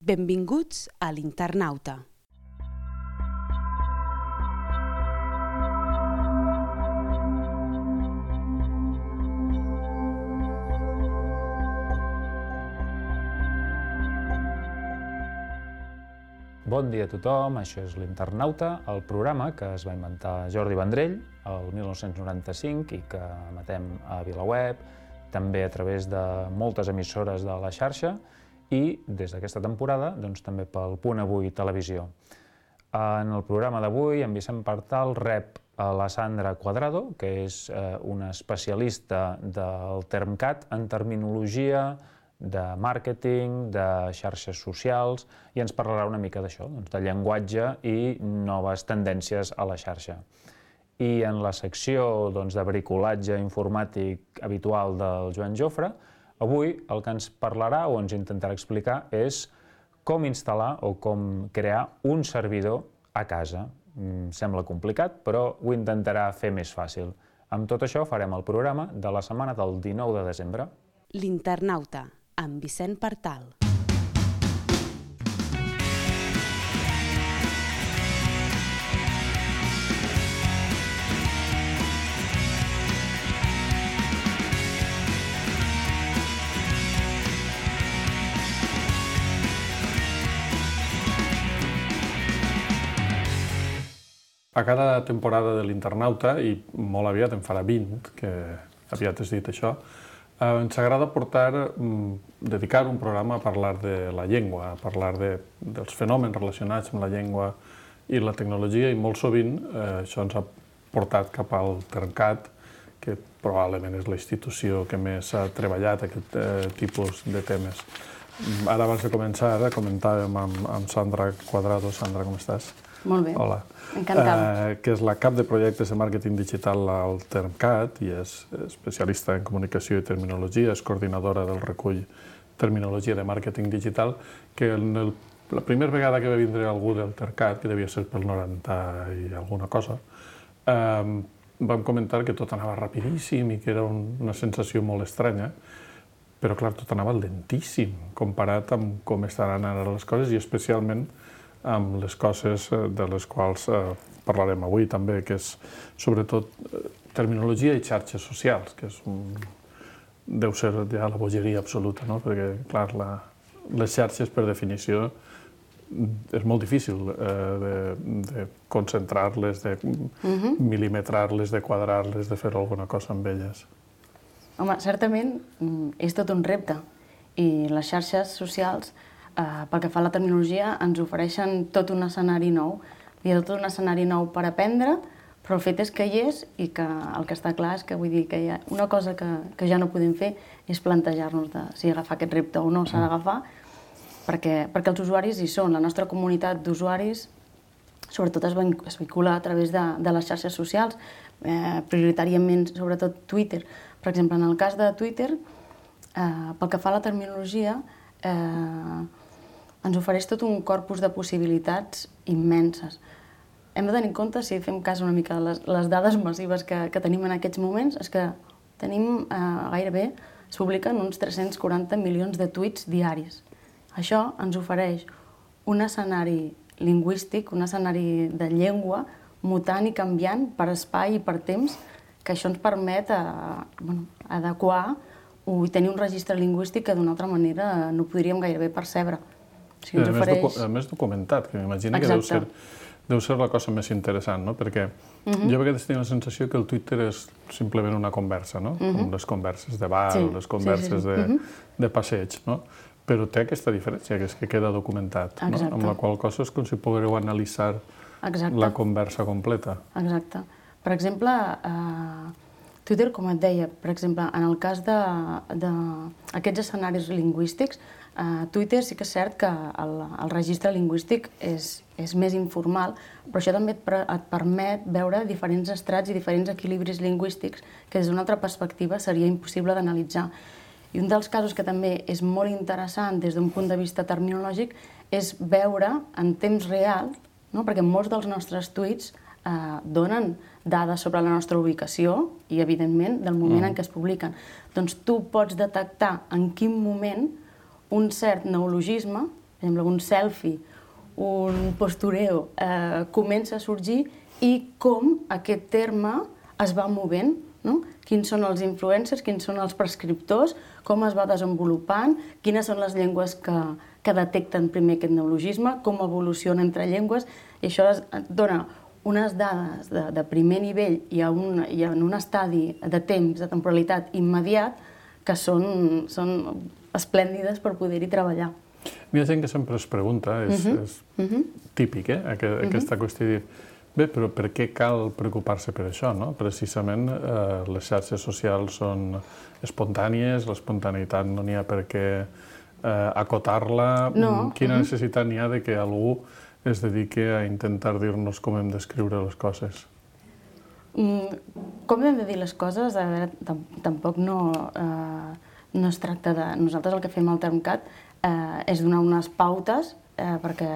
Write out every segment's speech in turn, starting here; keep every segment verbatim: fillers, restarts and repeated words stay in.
Benvinguts a l'Internauta. Bon dia a tothom, això és l'Internauta, el programa que es va inventar Jordi Vendrell el mil nou-cents noranta-cinc i que emetem a VilaWeb, també a través de moltes emissores de la xarxa i des d'aquesta temporada doncs, també pel Punt Avui Televisió. En el programa d'avui, en Vicent Partal rep a la Sandra Cuadrado, que és eh, una especialista del TermCat en terminologia, de màrqueting, de xarxes socials, i ens parlarà una mica d'això, doncs, de llenguatge i noves tendències a la xarxa. I en la secció doncs, de bricolatge informàtic habitual del Joan Jofre, avui el que ens parlarà o ens intentarà explicar és com instal·lar o com crear un servidor a casa. Mm, sembla complicat, però ho intentarà fer més fàcil. Amb tot això farem el programa de la setmana del dinou de desembre. L'Internauta, amb Vicent Partal. A cada temporada de l'Internauta, i molt aviat en farà vint, que aviat has dit això, eh, ens agrada portar, mm, dedicar un programa a parlar de la llengua, a parlar de, dels fenòmens relacionats amb la llengua i la tecnologia, i molt sovint eh, això ens ha portat cap al TermCat, que probablement és la institució que més ha treballat aquest eh, tipus de temes. Ara, abans de començar, eh, comentàvem amb, amb Sandra Cuadrado. Sandra, com estàs? Molt bé. Hola. Encantada. Eh, que és la cap de projectes de màrqueting digital al TermCat i és especialista en comunicació i terminologia, és coordinadora del recull Terminologia de Màrqueting Digital, que en el, la primera vegada que va vindre algú del TermCat, que devia ser pel noranta i alguna cosa, eh, vam comentar que tot anava rapidíssim i que era un, una sensació molt estranya, però clar, tot anava lentíssim comparat amb com estaran ara les coses i especialment amb les coses de les quals eh, parlarem avui també, que és sobretot eh, terminologia i xarxes socials, que és un... deu ser ja la bogeria absoluta, no? Perquè, clar, la... les xarxes, per definició, és molt difícil eh, de, de concentrar-les, de uh-huh. mil·limetrar-les, de quadrar-les, de fer alguna cosa amb elles. Home, certament és tot un repte i les xarxes socials, Uh, pel que fa a la terminologia, ens ofereixen tot un escenari nou. Hi ha tot un escenari nou per aprendre, però el fet és que hi és i que el que està clar és que vull dir que hi ha una cosa que, que ja no podem fer és plantejar-nos de si agafar aquest repte o no s'ha d'agafar, perquè, perquè els usuaris hi són. La nostra comunitat d'usuaris sobretot es, es vincula a través de, de les xarxes socials, eh, prioritàriament sobretot Twitter. Per exemple, en el cas de Twitter, eh, pel que fa a la terminologia, eh, ens ofereix tot un corpus de possibilitats immenses. Hem de tenir en compte, si fem cas una mica de les, les dades massives que, que tenim en aquests moments, és que tenim eh, gairebé, es publiquen uns tres-cents quaranta milions de tuits diaris. Això ens ofereix un escenari lingüístic, un escenari de llengua mutant i canviant per espai i per temps, que això ens permet eh, bueno, adequar o tenir un registre lingüístic que d'una altra manera no podríem gairebé percebre. O sigui, ens a, ofereix... més, a més documentat, que m'imagino que deu ser, deu ser la cosa més interessant, no? Perquè uh-huh. jo a vegades tinc la sensació que el Twitter és simplement una conversa, no? Uh-huh. Com les converses de bar, sí, les converses sí, sí, sí. de, uh-huh. de passeig, no? Però té aquesta diferència, que és que queda documentat, no? Amb la qual cosa és com si poguéreu analitzar Exacte. La conversa completa. Exacte. Per exemple, eh, Twitter, com et deia, per exemple, en el cas d'aquests escenaris lingüístics, Uh, Twitter sí que és cert que el, el registre lingüístic és, és més informal, però això també et, pre, et permet veure diferents estrats i diferents equilibris lingüístics que des d'una altra perspectiva seria impossible d'analitzar. I un dels casos que també és molt interessant des d'un punt de vista terminològic és veure en temps real, no? Perquè molts dels nostres tuits eh, donen dades sobre la nostra ubicació i, evidentment, del moment mm. en què es publiquen. Doncs tu pots detectar en quin moment un cert neologisme, per exemple, un selfie, un postureo, eh, comença a sorgir i com aquest terme es va movent, no? Quins són els influencers, quins són els prescriptors, com es va desenvolupant, quines són les llengües que, que detecten primer aquest neologisme, com evoluciona entre llengües, i això es dona unes dades de, de primer nivell i, a un, i en un estadi de temps, de temporalitat immediat, que són, són esplèndides per poder-hi treballar. Hi ha gent que sempre es pregunta, és, uh-huh. és uh-huh. típic, eh? Aqu uh-huh. aquesta qüestió de dir, bé, però per què cal preocupar-se per això, no? Precisament eh, les xarxes socials són espontànies, l'espontaneïtat no n'hi ha per què eh, acotar-la. No. Quina uh-huh. necessitat n'hi ha de que algú es dediqui a intentar dir-nos com hem d'escriure les coses? Mm, com hem de dir les coses? A veure, tampoc no, eh, no es tracta de... Nosaltres el que fem al TermCat eh, és donar unes pautes eh, perquè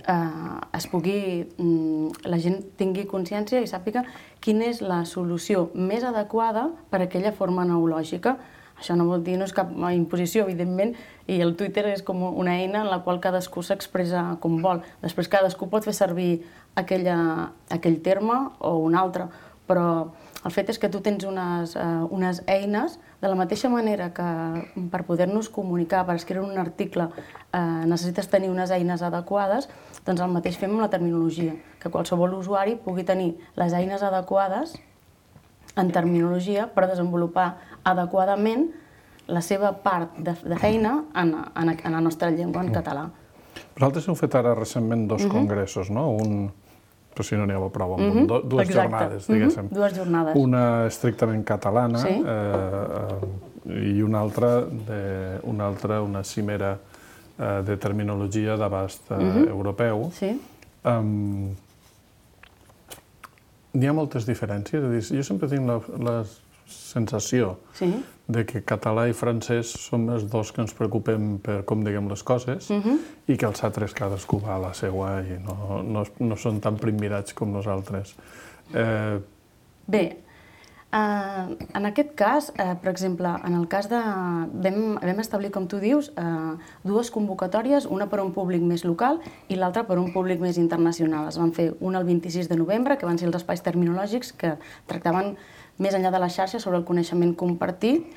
eh, es pugui, mm, la gent tingui consciència i sàpiga quina és la solució més adequada per a aquella forma neològica. Això no vol dir, no és cap imposició, evidentment, i el Twitter és com una eina en la qual cadascú s'expressa com vol. Després cadascú pot fer servir aquella, aquell terme o un altre, però el fet és que tu tens unes, uh, unes eines, de la mateixa manera que per poder-nos comunicar, per escriure un article, uh, necessites tenir unes eines adequades, doncs el mateix fem amb la terminologia, que qualsevol usuari pugui tenir les eines adequades en terminologia per desenvolupar adequadament la seva part de, de feina en, en, en la nostra llengua, en català. Vosaltres heu fet ara recentment dos uh-huh. congressos, no? Un, però si no n'hi ha prou, amb uh-huh. dues Exacte. jornades, diguéssim. Uh-huh. Dues jornades. Una estrictament catalana sí. eh, i una altra, de, una, altra una cimera eh, de terminologia d'abast eh, uh-huh. europeu. Sí. Um, N'hi ha moltes diferències, és a dir, jo sempre tinc la, la sensació sí. de que català i francès som els dos que ens preocupem per com diguem les coses uh-huh. i que els altres cadascú va a la seua i no, no, no són tan primmirats com nosaltres. Eh... Bé, Uh, en aquest cas, uh, per exemple, en el cas de... Vam, vam establir, com tu dius, uh, dues convocatòries, una per a un públic més local i l'altra per a un públic més internacional. Es van fer una el vint-i-sis de novembre, que van ser els espais terminològics que tractaven més enllà de la xarxa sobre el coneixement compartit,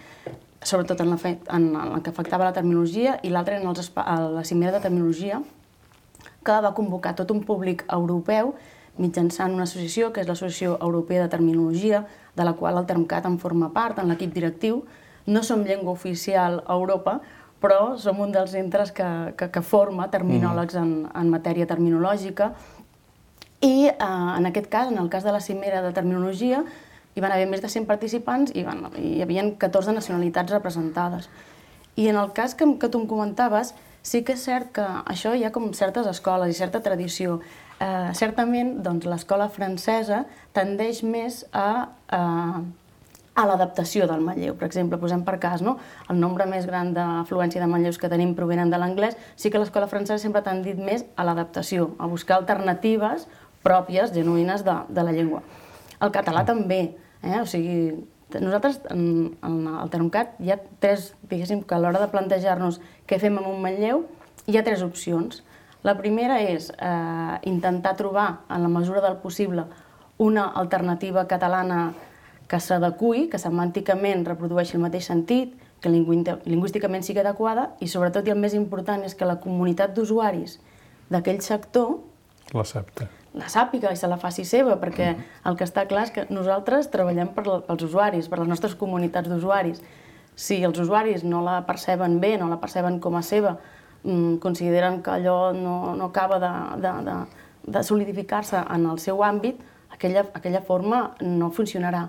sobretot en, la fe... en el que afectava la terminologia, i l'altra en els espa... la cimera de terminologia, que va convocar tot un públic europeu mitjançant una associació, que és l'Associació Europea de Terminologia, de la qual el TermCat en forma part, en l'equip directiu. No som llengua oficial a Europa, però som un dels centres que, que, que forma terminòlegs en, en matèria terminològica. I eh, en aquest cas, en el cas de la cimera de terminologia, hi van haver més de cent participants i van, hi havia catorze nacionalitats representades. I en el cas que, que tu em comentaves, sí que és cert que això hi ha com certes escoles i certa tradició. Eh, certament, doncs, l'escola francesa tendeix més a, a, a l'adaptació del manlleu. Per exemple, posem per cas, no? El nombre més gran d'afluència de manlleus que tenim provenen de l'anglès, sí que l'escola francesa sempre ha tendit més a l'adaptació, a buscar alternatives pròpies, genuïnes de, de la llengua. El català també, eh? O sigui, nosaltres, en, en el TermCat, hi ha tres, diguéssim, que a l'hora de plantejar-nos què fem amb un manlleu, hi ha tres opcions. La primera és eh, intentar trobar, en la mesura del possible, una alternativa catalana que s'adequi, que semànticament reprodueixi el mateix sentit, que lingüísticament sigui adequada i, sobretot, i el més important, és que la comunitat d'usuaris d'aquell sector l'accepta. La sàpiga i se la faci seva, perquè el que està clar és que nosaltres treballem per pels usuaris, per les nostres comunitats d'usuaris. Si els usuaris no la perceben bé, no la perceben com a seva, consideren que allò no, no acaba de, de, de, de solidificar-se en el seu àmbit, aquella, aquella forma no funcionarà.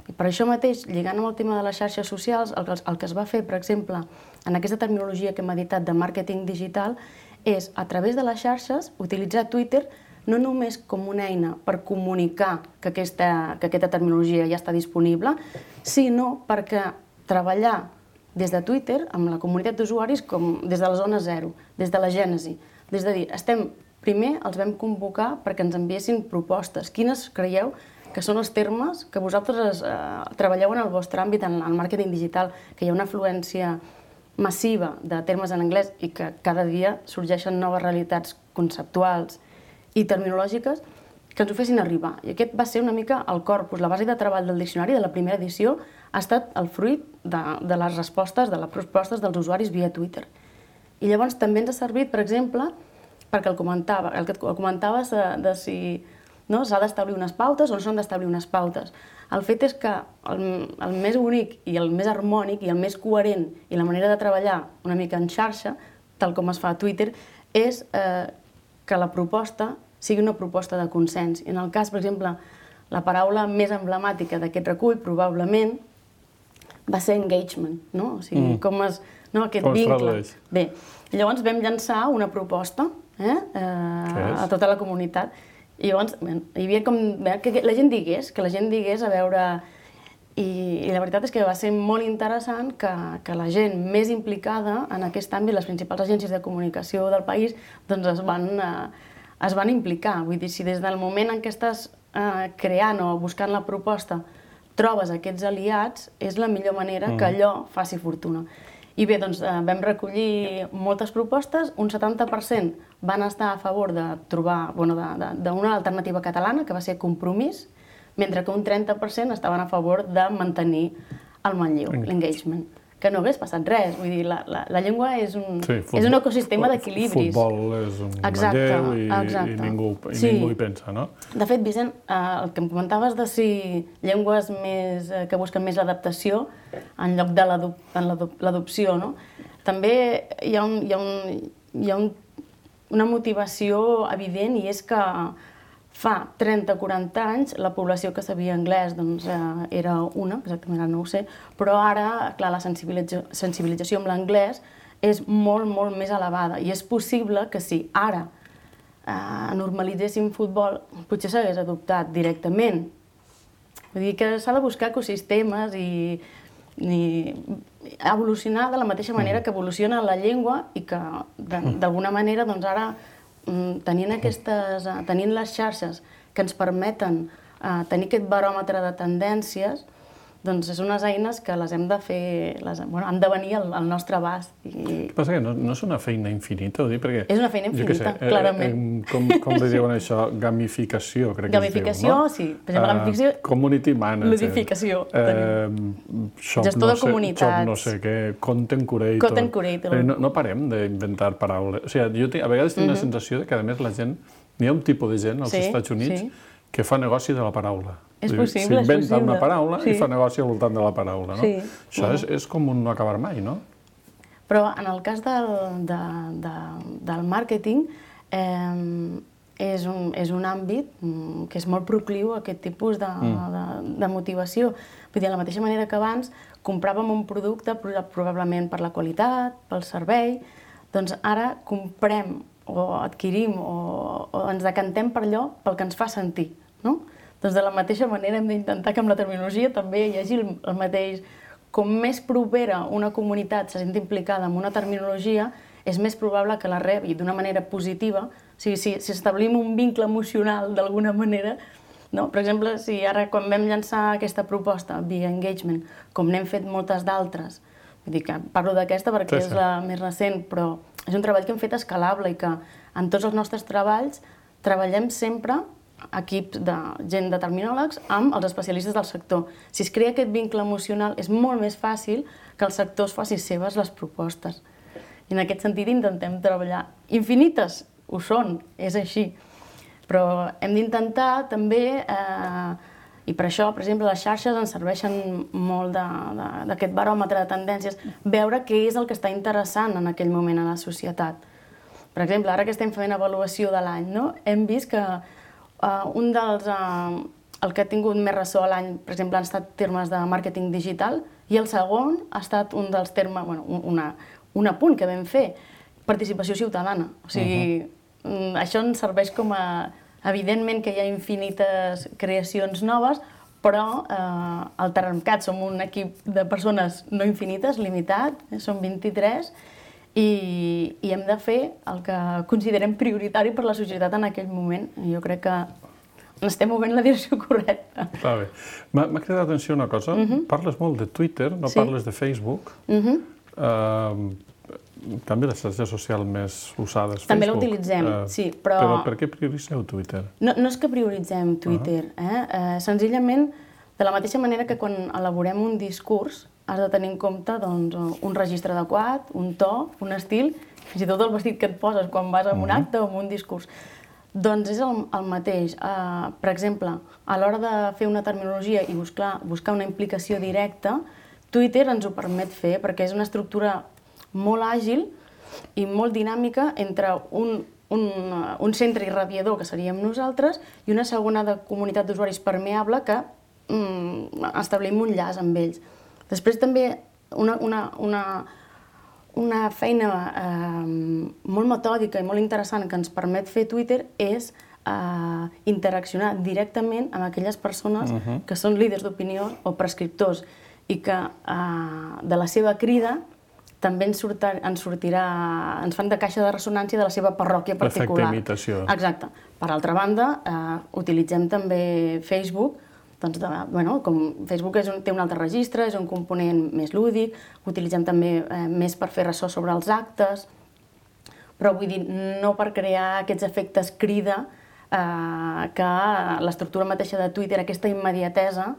I per això mateix, lligant amb el tema de les xarxes socials, el que, el que es va fer, per exemple, en aquesta terminologia que hem editat de màrqueting digital, és, a través de les xarxes, utilitzar Twitter no només com una eina per comunicar que aquesta, que aquesta terminologia ja està disponible, sinó perquè treballar des de Twitter, amb la comunitat d'usuaris, com des de la zona zero, des de la gènesi. Des de dir, estem, primer els vam convocar perquè ens enviessin propostes. Quines creieu que són els termes que vosaltres eh, treballeu en el vostre àmbit, en el màrqueting digital, que hi ha una afluència massiva de termes en anglès i que cada dia sorgeixen noves realitats conceptuals i terminològiques que ens ho fessin arribar. I aquest va ser una mica el corpus, la base de treball del diccionari de la primera edició ha estat el fruit de, de les respostes, de les propostes dels usuaris via Twitter. I llavors també ens ha servit, per exemple, perquè el, comentava, el que el comentaves de, de si no, s'ha d'establir unes pautes o no s'han d'establir unes pautes. El fet és que el, el més bonic i el més harmònic i el més coherent i la manera de treballar una mica en xarxa, tal com es fa a Twitter, és eh, que la proposta sigui una proposta de consens. I en el cas, per exemple, la paraula més emblemàtica d'aquest recull, probablement, va ser engagement, no? O sigui, mm. com es... No, aquest com vincle. Bé, llavors vam llançar una proposta eh, eh, a tota la comunitat. I llavors bé, hi havia com... que la gent digués, que la gent digués a veure... I, i la veritat és que va ser molt interessant que, que la gent més implicada en aquest àmbit, les principals agències de comunicació del país, doncs es van... Eh, es van implicar. Vull dir, si des del moment en què estàs eh, creant o buscant la proposta trobes aquests aliats, és la millor manera mm. que allò faci fortuna. I bé, doncs eh, vam recollir moltes propostes, un setanta per cent van estar a favor de trobar, bueno, d'una alternativa catalana, que va ser Compromís, mentre que un trenta per cent estaven a favor de mantenir el manlleu, l'engagement. Que no hagués passat res. Vull dir, la, la, la llengua és un, sí, futbol, és un ecosistema d'equilibris. Futbol és un manlleu i, i, ningú, i sí. ningú hi pensa, no? De fet, Vicent, eh, el que em comentaves de si llengües més, eh, que busquen més l'adaptació en lloc de l'adopció, no? També hi ha, un, hi ha, un, hi ha un, una motivació evident i és que fa trenta o quaranta anys la població que sabia anglès doncs, eh, era una, exactament ara no ho sé, però ara, clar, la sensibilització, sensibilització amb l'anglès és molt, molt més elevada i és possible que si ara eh, normalitzéssim futbol potser s'hagués adoptat directament. Vull dir que s'ha de buscar ecosistemes i, i evolucionar de la mateixa manera que evoluciona la llengua i que d'alguna manera doncs, ara tenint, aquestes, tenint les xarxes que ens permeten uh, tenir aquest baròmetre de tendències, doncs és unes eines que les hem de fer, les, bueno, han de venir al, al nostre abast. I... El que passa que no, no és una feina infinita, ho dic, perquè... És una feina infinita, sé, clarament. Eh, eh, com, com li diuen això? Gamificació, crec Gamificació, que es diu, no? sí. Per exemple, gamificació... Uh, community manager. Ludificació. Uh, Gestor no de comunitats. Shop no sé què, content curator. Content curator. No, no parem d'inventar paraules. O sigui, jo tinc, a vegades tinc uh -huh. la sensació que, a més, la gent... Hi ha un tipus de gent als sí, Estats Units sí. que fa negoci de la paraula. És possible, és possible. S'inventa una paraula sí. i fa negoci al voltant de la paraula, no? Sí. Això uh-huh. és, és com un no acabar mai, no? Però en el cas del, de, de, del màrqueting, eh, és, un, és un àmbit que és molt procliu a aquest tipus de, mm. de, de motivació. Vull dir, de la mateixa manera que abans compràvem un producte probablement per la qualitat, pel servei, doncs ara comprem o adquirim o, o ens decantem per allò pel que ens fa sentir, no? Doncs de la mateixa manera hem d'intentar que amb la terminologia també hi hagi el, el mateix. Com més propera una comunitat se sent implicada en una terminologia, és més probable que la rebi d'una manera positiva. O sigui, si, si establim un vincle emocional d'alguna manera, no? Per exemple, si ara quan vam llançar aquesta proposta via engagement, com n'hem fet moltes d'altres, vull dir que parlo d'aquesta perquè sí, sí. és la més recent, però és un treball que hem fet escalable i que en tots els nostres treballs treballem sempre equips de gent de terminòlegs amb els especialistes del sector. Si es crea aquest vincle emocional, és molt més fàcil que el sector es faci seves les propostes. I en aquest sentit intentem treballar. Infinites ho són, és així. Però hem d'intentar també, eh, i per això, per exemple, les xarxes ens serveixen molt d'aquest baròmetre de tendències, veure què és el que està interessant en aquell moment a la societat. Per exemple, ara que estem fent avaluació de l'any, no? Hem vist que Uh, un dels, uh, el que ha tingut més ressò a l'any, per exemple, han estat termes de màrqueting digital i el segon ha estat un dels termes, bueno, una, un apunt que vam fer, participació ciutadana. O sigui, uh -huh. això ens serveix com a... Evidentment que hi ha infinites creacions noves, però eh, al Terramcat som un equip de persones no infinites, limitat, eh, som vint-i-tres, I, i hem de fer el que considerem prioritari per la societat en aquell moment. Jo crec que estem movent la direcció correcta. Està bé. M'ha cridat l'atenció una cosa. Uh-huh. Parles molt de Twitter, no sí. parles de Facebook. Uh-huh. En canvi, la xarxa social més usada és Facebook. També l'utilitzem, sí, però... Però per què prioritzeu Twitter? No, no és que prioritzem Twitter, eh? eh? Senzillament, de la mateixa manera que quan elaborem un discurs has de tenir en compte doncs, un registre adequat, un to, un estil, fins i tot el vestit que et poses quan vas a un acte o a un discurs. Doncs és el, el mateix. Uh, per exemple, a l'hora de fer una terminologia i buscar, buscar una implicació directa, Twitter ens ho permet fer perquè és una estructura molt àgil i molt dinàmica entre un, un, un centre irradiador, que seríem nosaltres, i una segona de comunitat d'usuaris permeable que mm, establim un llaç amb ells. Després també una, una, una, una feina eh, molt metòdica i molt interessant que ens permet fer Twitter és eh, interaccionar directament amb aquelles persones uh-huh. que són líders d'opinió o prescriptors i que eh, de la seva crida també ens, surtar, ens sortirà, ens fan de caixa de ressonància de la seva parròquia particular. L'efecte imitació. Exacte. Per altra banda, eh, utilitzem també Facebook, doncs de, bueno, com Facebook és un, té un altre registre, és un component més lúdic, utilitzem també eh, més per fer ressò sobre els actes, però vull dir, no per crear aquests efectes crida eh, que l'estructura mateixa de Twitter, aquesta immediatesa,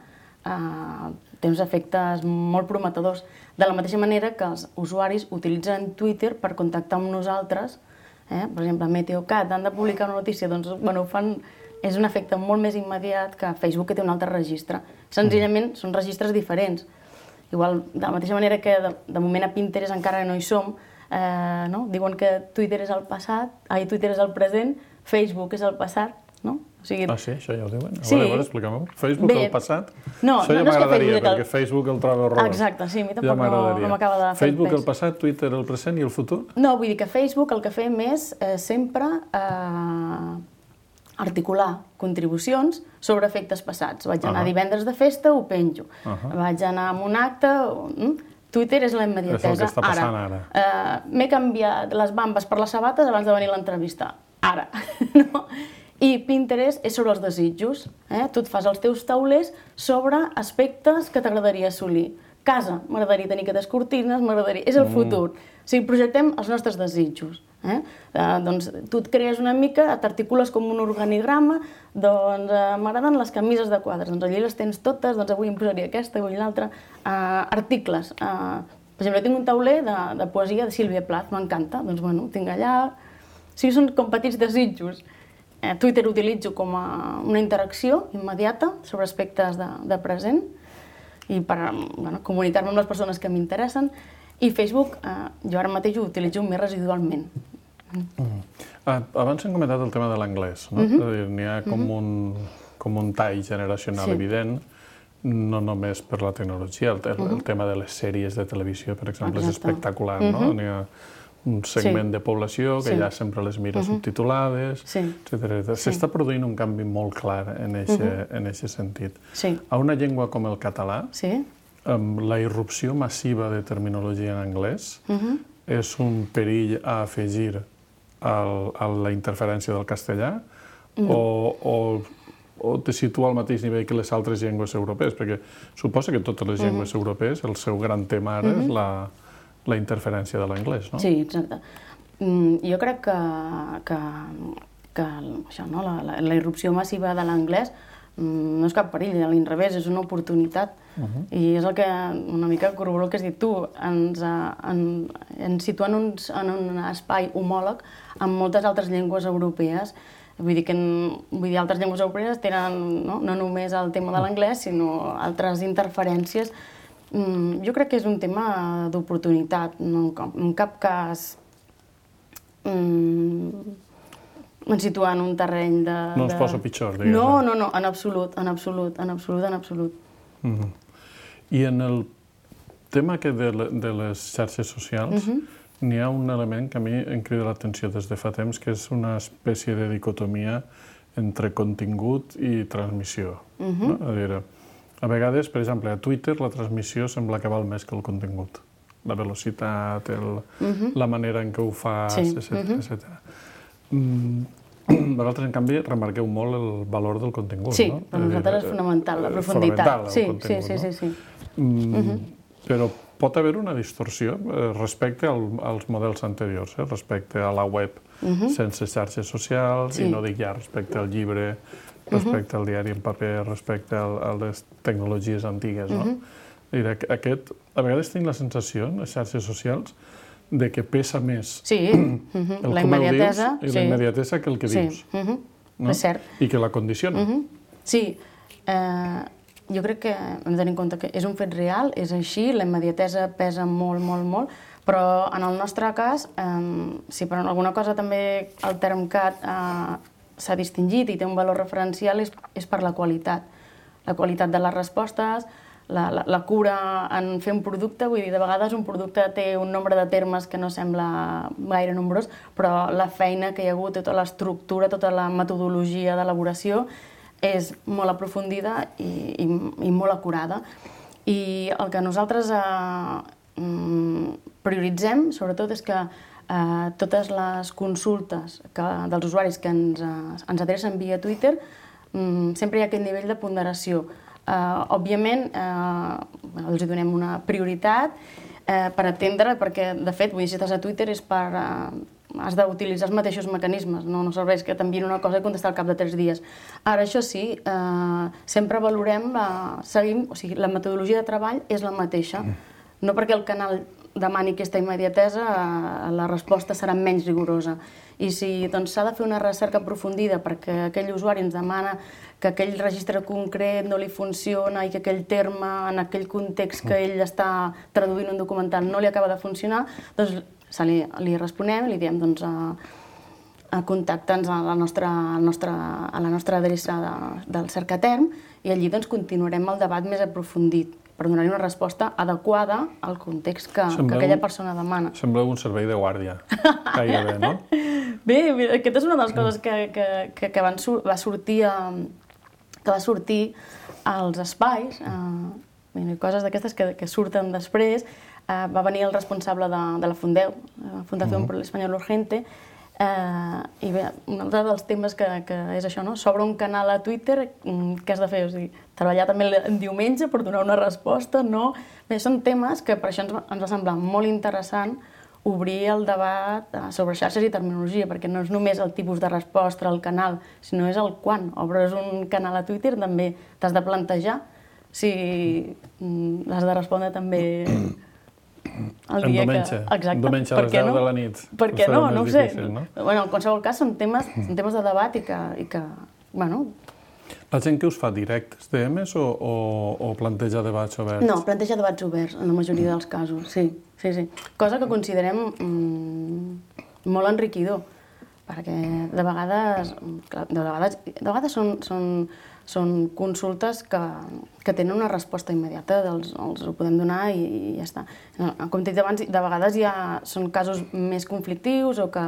eh, té uns efectes molt prometedors. De la mateixa manera que els usuaris utilitzen Twitter per contactar amb nosaltres, eh? Per exemple, Meteocat, han de publicar una notícia, doncs, bueno, ho fan, és un efecte molt més immediat que Facebook, que té un altre registre. Senzillament, són registres diferents. Igual, de la mateixa manera que de, de moment a Pinterest encara no hi som, eh, no? Diuen que Twitter és el passat, ai, Twitter és el present, Facebook és el passat, no? O sigui... Ah, sí? Això ja ho diuen? A Sí. veure, a veure, expliquem-ho. Facebook Bé, el passat? no, Això ja no és que m'agradaria, Facebook el- perquè Facebook el trobo horrorós. Exacte, sí, a mi tampoc Ja no- m'agradaria. no m'acaba de fer Facebook pes. el passat, Twitter el present i el futur? No, vull dir que Facebook el que fem és eh, sempre eh, articular contribucions sobre efectes passats. Vaig anar Ahà. divendres de festa, ho penjo. Ahà. Vaig anar a un acte... mm, Twitter és la immediatesa. És el que està passant ara. Eh, M'he canviat les bambes per les sabates abans de venir a l'entrevista. Ara. No? I Pinterest és sobre els desitjos. Eh? Tu et fas els teus taulers sobre aspectes que t'agradaria assolir. Casa, m'agradaria tenir aquestes cortines, m'agradaria... És el futur. O sigui, projectem els nostres desitjos. Eh? Eh, doncs tu et crees una mica, t'articules com un organigrama, doncs eh, m'agraden les camises de quadres, doncs allí les tens totes, doncs avui em posaria aquesta, avui l'altra. Eh, articles. Eh, per exemple, tinc un tauler de, de poesia de Sílvia Plath, m'encanta, doncs bueno, tinc allà... O sigui, són com petits desitjos. Eh, Twitter utilitzo com a una interacció immediata sobre aspectes de, de present i per bueno, comunicar-me amb les persones que m'interessen. I Facebook, eh, jo ara mateix ho utilitzo més residualment. Mm. Ah, abans hem comentat el tema de l'anglès, no? Mhm. És a dir, n'hi ha com, un, com un tall generacional Sí. evident, no només per la tecnologia, el, el, el tema de les sèries de televisió, per exemple, és Exacte. espectacular, no? Mhm. N'hi ha un segment Sí. de població que Sí. ja sempre les mira Mhm. subtitulades, Sí. etcètera. Sí. S'està produint un canvi molt clar en aquest sentit. Sí. A una llengua com el català, Sí? amb la irrupció massiva de terminologia en anglès Mhm. és un perill a afegir al, a la interferència del castellà o, o, o te situa al mateix nivell que les altres llengües europees? Perquè suposa que totes les llengües europees, el seu gran tema ara és la, la interferència de l'anglès, no? Sí, exacte. Mm, jo crec que, que, que això, no? la, la, la irrupció massiva de l'anglès mm, no és cap perill, a l'inrevés, és una oportunitat. Uh-huh. I és el que una mica corroboro el que has dit tu, ens, eh, en, ens situa en, uns, en un espai homòleg amb moltes altres llengües europees. Vull dir que en, vull dir, altres llengües europees tenen no, no només el tema de l'anglès, sinó altres interferències. Mm, jo crec que és un tema d'oportunitat, no, en cap cas mm, ens situa en un terreny de... No ens de... posa pitjor, diguem-ne. No, no, no, en absolut, en absolut, en absolut, en absolut. Uh-huh. I en el tema que de, le, de les xarxes socials, uh-huh. n'hi ha un element que a mi em crida l'atenció des de fa temps, que és una espècie de dicotomia entre contingut i transmissió. Uh-huh. No? A dir, a vegades, per exemple, a Twitter la transmissió sembla que val més que el contingut. La velocitat, el, uh-huh. la manera en què ho fas, Sí. etcètera, Uh-huh. etcètera. Mm, vosaltres, en canvi, remarqueu molt el valor del contingut, Sí, no? per nosaltres és fonamental, la eh, profunditat. fonamental, el Sí, sí, contingut, sí, no? sí, sí. Mm, Uh-huh. Però pot haver una distorsió respecte als models anteriors, respecte a la web sense xarxes socials, i no dic ja respecte al llibre, respecte al diari en paper, respecte a les tecnologies antigues. Aquest, a vegades tinc la sensació, en les xarxes socials, de que pesa més el com ho dius i la immediatesa que el que dius. És cert. I que la condiciona. Sí. Jo crec que hem de tenir en compte que és un fet real, és així, la immediatesa pesa molt, molt, molt, però en el nostre cas, si per alguna cosa també el TermCat s'ha distingit i té un valor referencial és per la qualitat. La qualitat de les respostes, la cura en fer un producte, vull dir, de vegades un producte té un nombre de termes que no sembla gaire nombrós, però la feina que hi ha hagut, tota l'estructura, tota la metodologia d'elaboració és molt aprofundida i molt acurada. I el que nosaltres prioritzem, sobretot, és que totes les consultes dels usuaris que ens adrecen via Twitter sempre hi ha aquest nivell de ponderació. Òbviament, els donem una prioritat per atendre, perquè, de fet, si estàs a Twitter és per... has d'utilitzar els mateixos mecanismes, no serveix que t'enviïn una cosa i contestar al cap de tres dies. Ara, això sí, sempre valorem, seguim, o sigui, la metodologia de treball és la mateixa. No perquè el canal demani aquesta immediatesa, la resposta serà menys rigorosa. I si s'ha de fer una recerca aprofundida perquè aquell usuari ens demana que aquell registre concret no li funciona i que aquell terme, en aquell context que ell està traduint un documental, no li acaba de funcionar, doncs li responem i li diem contacta'ns a la nostra adreça del Cercaterm i allí continuarem el debat més aprofundit per donar-hi una resposta adequada al context que aquella persona demana. Sembla un servei de guàrdia, gairebé, no? Bé, aquesta és una de les coses que va sortir als espais, coses d'aquestes que surten després. Va venir el responsable de la Fundeu, la Fundación por el Español Urgente, i bé, un altre dels temes que és això, s'obre un canal a Twitter, què has de fer? O sigui, treballar també el diumenge per donar una resposta, no? Bé, són temes que per això ens va semblar molt interessant obrir el debat sobre xarxes i terminologia, perquè no és només el tipus de resposta al canal, sinó és el quan. Obres un canal a Twitter, també t'has de plantejar si has de respondre també el dia que... Exacte. Diumenge a les deu de la nit. Per què no? No ho sé. En qualsevol cas són temes de debat i que, bueno... La gent que us fa directes D Ms o planteja debats oberts? No, planteja debats oberts, en la majoria dels casos, sí. Cosa que considerem molt enriquidor, perquè de vegades... De vegades són... són consultes que tenen una resposta immediata, els ho podem donar i ja està. Com t'he dit abans, de vegades són casos més conflictius o que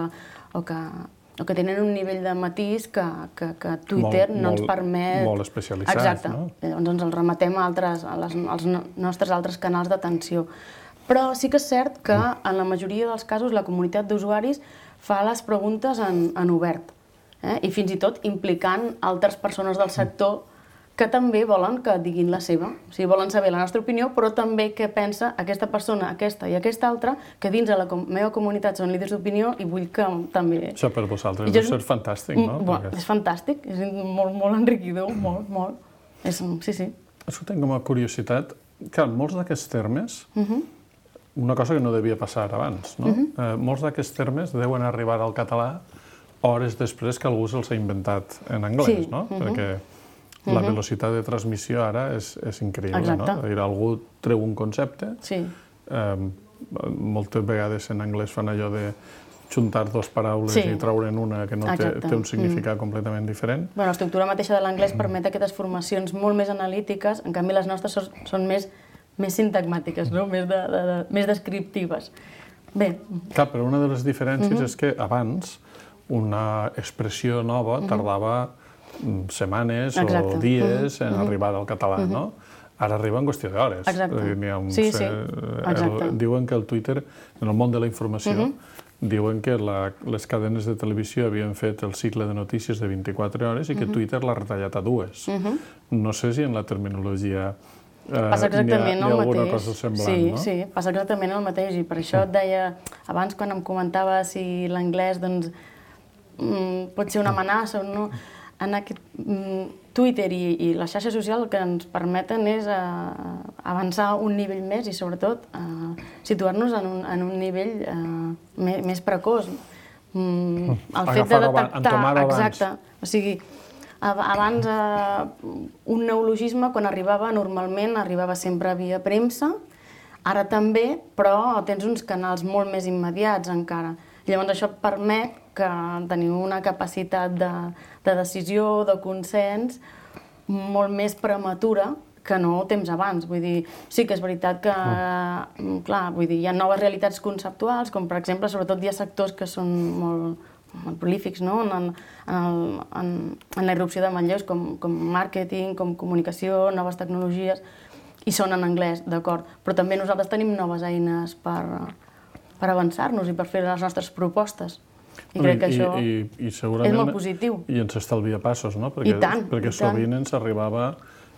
tenen un nivell de matís que Twitter no ens permet... Molt especialitzats, no? Exacte. Llavors ens els rematem als nostres altres canals d'atenció. Però sí que és cert que en la majoria dels casos la comunitat d'usuaris fa les preguntes en obert. I fins i tot implicant altres persones del sector que també volen que diguin la seva. O sigui, volen saber la nostra opinió, però també què pensa aquesta persona, aquesta i aquesta altra, que dins de la meva comunitat són líders d'opinió i vull que també... Això per vosaltres deu ser fantàstic, no? És fantàstic, és molt enriquidor, molt, molt. Sí, sí. Això tinc com a curiositat, que molts d'aquests termes, una cosa que no devia passar abans, no? Molts d'aquests termes deuen arribar al català hores després que algú se'ls ha inventat en anglès, no? Perquè la velocitat de transmissió ara és increïble, no? Algú treu un concepte, moltes vegades en anglès fan allò de juntar dues paraules i treure'n una que no té un significat completament diferent. L'estructura mateixa de l'anglès permet aquestes formacions molt més analítiques, en canvi les nostres són més sintagmàtiques, més descriptives. Bé. Clar, però una de les diferències és que abans una expressió nova tardava setmanes o dies en arribar al català, no? Ara arriba en qüestió d'hores. Sí, sí. Diuen que el Twitter, en el món de la informació, diuen que les cadenes de televisió havien fet el cicle de notícies de vint-i-quatre hores i que Twitter l'ha retallat a dues. No sé si en la terminologia Passa exactament el mateix. N'hi ha alguna cosa semblant, sí, no? Sí, passa exactament el mateix. I per això et deia, abans quan em comentava si l'anglès doncs, mm, pot ser una amenaça o no, en aquest mm, Twitter i, i la xarxa social el que ens permeten és eh, avançar un nivell més i sobretot eh, situar-nos en, un, en un nivell eh, més, més precoç. Mm, el fet de detectar... Exacte. O sigui, abans, eh, un neologisme, quan arribava, normalment arribava sempre via premsa, ara també, però tens uns canals molt més immediats encara. Llavors això et permet que teniu una capacitat de, de decisió, de consens, molt més prematura que no temps abans. Vull dir, sí que és veritat que, mm. clar, vull dir, hi ha noves realitats conceptuals, com per exemple, sobretot hi ha sectors que són molt molt prolífics, no? en, en, el, en, en la irrupció de manlleus com, com màrqueting, com comunicació, noves tecnologies, i són en anglès, d'acord. Però també nosaltres tenim noves eines per, per avançar-nos i per fer les nostres propostes. I crec que I, això i, i, i segurament, és molt positiu. I ens estalvia passos, no? Perquè, I tant, perquè i tant. sovint ens arribava...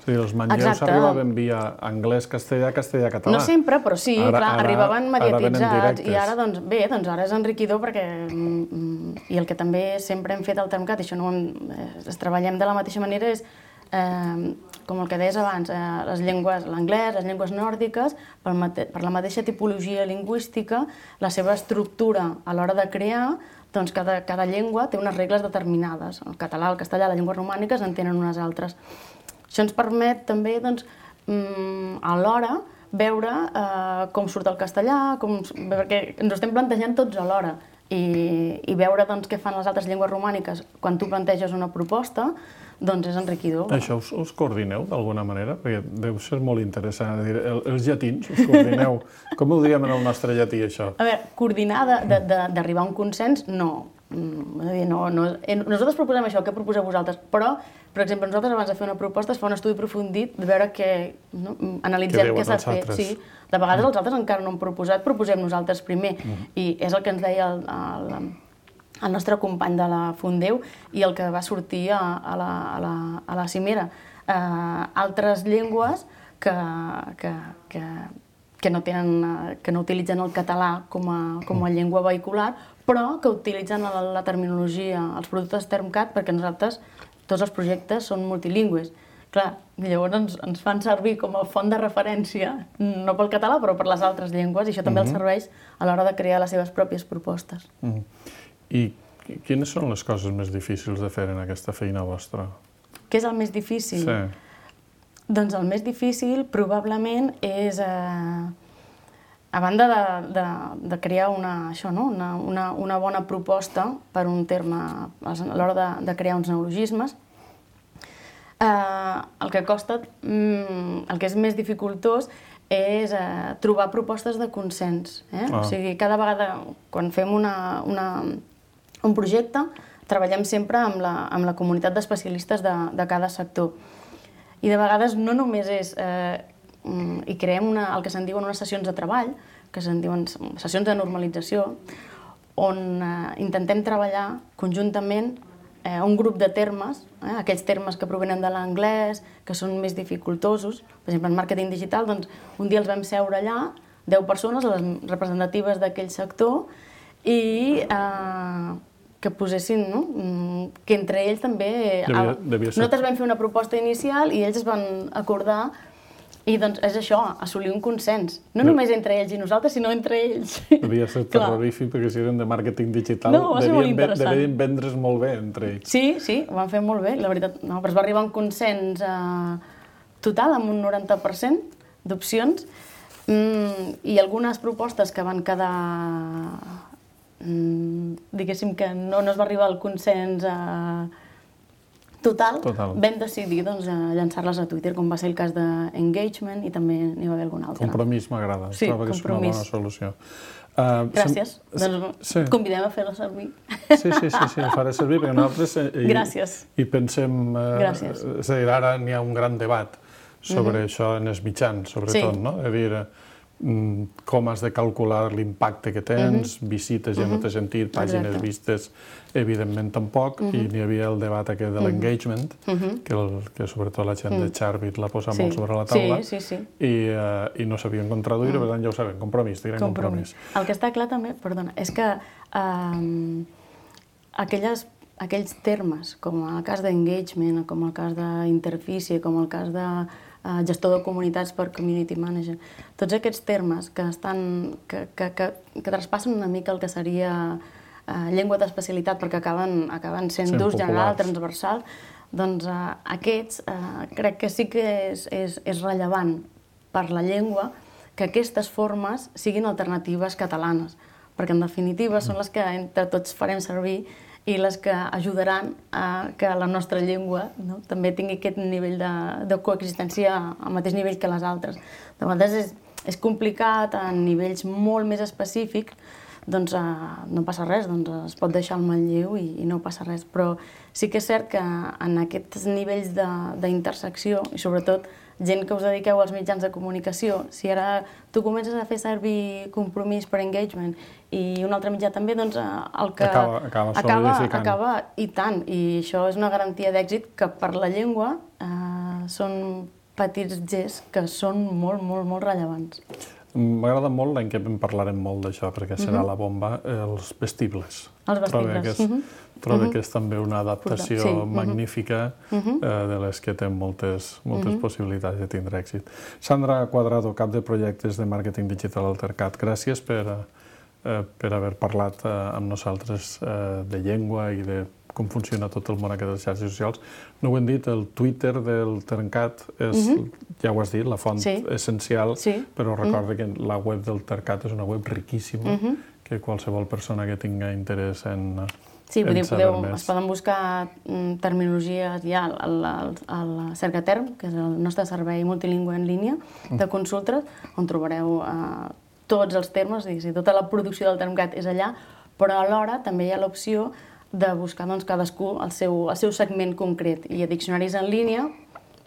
Sí, els manlleus arribaven via anglès, castellà, castellà, català. No sempre, però sí, ara, clar, ara, arribaven mediatitzats i ara, doncs, bé, doncs ara és enriquidor perquè, mm, i el que també sempre hem fet al TermCat, i això no eh, es treballem de la mateixa manera, és, eh, com el que deies abans, eh, les llengües, l'anglès, les llengües nòrdiques, per, mate per la mateixa tipologia lingüística, la seva estructura a l'hora de crear, doncs cada, cada llengua té unes regles determinades. El català, el castellà, les llengües romàniques en tenen unes altres. Això ens permet també, doncs, alhora veure eh, com surt el castellà, com, perquè ens ho estem plantejant tots alhora, i, i veure doncs, què fan les altres llengües romàniques quan tu planteges una proposta, doncs és enriquidor. Això us, us coordineu d'alguna manera? Perquè deu ser molt interessant. Dir, el, els llatins us coordineu. Com ho diríem en el nostre llatí, això? A veure, coordinar d'arribar a un consens, no. No, no, nosaltres proposem això, què proposeu vosaltres? Però, per exemple, nosaltres abans de fer una proposta es fa un estudi aprofundit de veure què, no, analitzem què s'ha fet. Sí, de vegades els altres encara no han proposat, proposem nosaltres primer. Mm. I és el que ens deia el, el, el nostre company de la Fundeu i el que va sortir a, a, la, a, la, a la cimera. Eh, altres llengües que, que, que, que, no tenen, que no utilitzen el català com a, com a llengua vehicular, però que utilitzen la, la terminologia, els productes TermCat, perquè nosaltres, tots els projectes són multilingües. Clar, llavors ens, ens fan servir com a font de referència, no pel català, però per les altres llengües, i això també mm-hmm. els serveix a l'hora de crear les seves pròpies propostes. Mm-hmm. I quines són les coses més difícils de fer en aquesta feina vostra? Què és el més difícil? Sí. Doncs el més difícil probablement és... Eh, a banda de, de, de crear una, això, no? una, una, una bona proposta per un terme, a l'hora de, de crear uns neologismes, eh, el que costa, mm, el que és més dificultós és eh, trobar propostes de consens. Eh? Ah. O sigui, cada vegada, quan fem una, una, un projecte, treballem sempre amb la, amb la comunitat d'especialistes de, de cada sector. I de vegades no només és... Eh, i creem una, el que se'n diuen unes sessions de treball, que se'n diuen sessions de normalització, on eh, intentem treballar conjuntament eh, un grup de termes, eh, aquells termes que provenen de l'anglès, que són més dificultosos. Per exemple, en màrqueting digital, doncs, un dia els vam seure allà, deu persones, les representatives d'aquell sector, i eh, que posessin, no? Que entre ells també... Devia, devia ser... Nosaltres vam fer una proposta inicial i ells es van acordar. I doncs és això, assolir un consens. No sí. només entre ells i nosaltres, sinó entre ells. Devia ser terrorífic, perquè si eren de màrqueting digital, no, devien, devien vendre's molt bé entre ells. Sí, sí, ho van fer molt bé, la veritat. No, però es va arribar a un consens eh, total, amb un noranta per cent d'opcions, mm, i algunes propostes que van quedar... Mm, diguéssim que no, no es va arribar al consens... Eh, Total, Total, vam decidir doncs, llançar-les a Twitter, com va ser el cas d'Engagement, i també n'hi va haver algun altre. Compromís m'agrada, sí, trobo que és una bona solució. Uh, Gràcies, sem... doncs sí. convidem a fer-la servir. Sí, sí, sí, sí, faré servir, perquè nosaltres hi, Gràcies. hi pensem... Uh, Gràcies. És a dir, ara n'hi ha un gran debat sobre mm-hmm. això en els mitjans, sobretot, sí. no? És a dir, com has de calcular l'impacte que tens, visites ja no té sentit, pàgines vistes evidentment tampoc, i n'hi havia el debat aquest de l'engagement, que sobretot la gent de Charbit l'ha posat molt sobre la taula, i no sabien com traduir, per tant ja ho sabem, compromís, direm compromís. El que està clar també, perdona, és que aquells termes, com el cas d'engagement, com el cas d'interfície, com el cas de gestor de comunitats per community manager, tots aquests termes que traspassen una mica el que seria llengua d'especialitat perquè acaben sent d'ús general, transversal, doncs aquests crec que sí que és rellevant per la llengua que aquestes formes siguin alternatives catalanes, perquè en definitiva són les que entre tots farem servir i les que ajudaran a que la nostra llengua també tingui aquest nivell de coexistència al mateix nivell que les altres. De vegades és complicat, a nivells molt més específics, doncs no passa res, es pot deixar el manlleu i no passa res. Però sí que és cert que en aquests nivells d'intersecció, i sobretot gent que us dediqueu als mitjans de comunicació, si ara tu comences a fer servir compromís per engagement i un altre mitjà també, doncs el que acaba i tant. I això és una garantia d'èxit que per la llengua són petits gests que són molt, molt, molt rellevants. M'agrada molt, l'any que en parlarem molt d'això, perquè serà la bomba, els vestibles. Els vestibles. Trobo que és també una adaptació magnífica de les que té moltes possibilitats de tindre èxit. Sandra Cuadrado, cap de projectes de màrqueting digital al Tercat, gràcies per haver parlat amb nosaltres de llengua i de com funciona tot el món aquest de les xarxes socials. No ho hem dit, el Twitter del Tercat és, ja ho has dit, la font essencial, però recorda que la web del Tercat és una web riquíssima, que qualsevol persona que tinga interès en Sí, es poden buscar terminologies ja al Cercaterm, que és el nostre servei multilingüe en línia de consultes, on trobareu tots els termes, tota la producció del Termcat és allà, però alhora també hi ha l'opció de buscar cadascú el seu segment concret. I a diccionaris en línia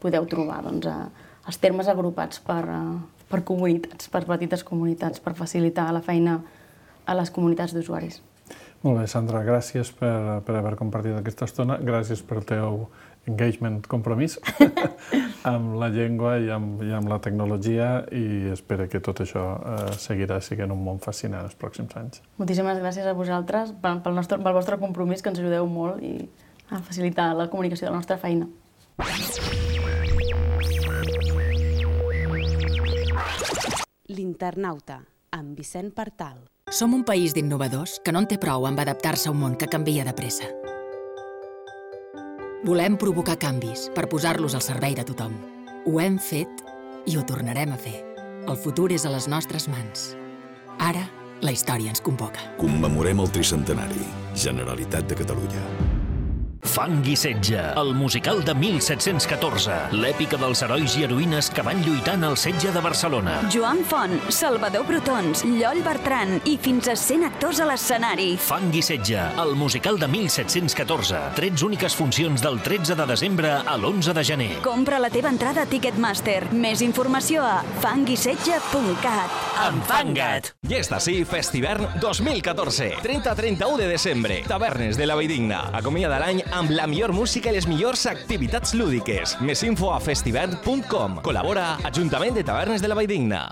podeu trobar els termes agrupats per comunitats, per petites comunitats, per facilitar la feina a les comunitats d'usuaris. Molt bé, Sandra, gràcies per haver compartit aquesta estona, gràcies pel teu engagement, compromís amb la llengua i amb la tecnologia, i espero que tot això seguirà sent un món fascinant els pròxims anys. Moltíssimes gràcies a vosaltres pel vostre compromís, que ens ajudeu molt a facilitar la comunicació de la nostra feina. L'Internauta, amb Vicent Partal. Som un país d'innovadors que no en té prou amb adaptar-se a un món que canvia de pressa. Volem provocar canvis per posar-los al servei de tothom. Ho hem fet i ho tornarem a fer. El futur és a les nostres mans. Ara, la història ens convoca. Commemorem el tricentenari. Generalitat de Catalunya. Fang i setge, el musical de mil set-cents catorze, l'èpica dels herois i heroïnes que van lluitar en el setge de Barcelona. Joan Font, Salvador Brotons, Lloll Bertran i fins a cent actors a l'escenari. Fang i setge, el musical de mil set-cents catorze. tretze úniques funcions del tretze de desembre a l'onze de gener. Compra la teva entrada a Ticketmaster. Més informació a fang i setge punt cat. Enfanga't! I està sí, Festivern dos mil catorze. trenta a trenta-u de desembre. Tavernes de la Valldigna. Acomiada l'any amb la millor música i les millors activitats lúdiques. Més info a festivern punt com. Col·labora Ajuntament de Tavernes de la Valldigna.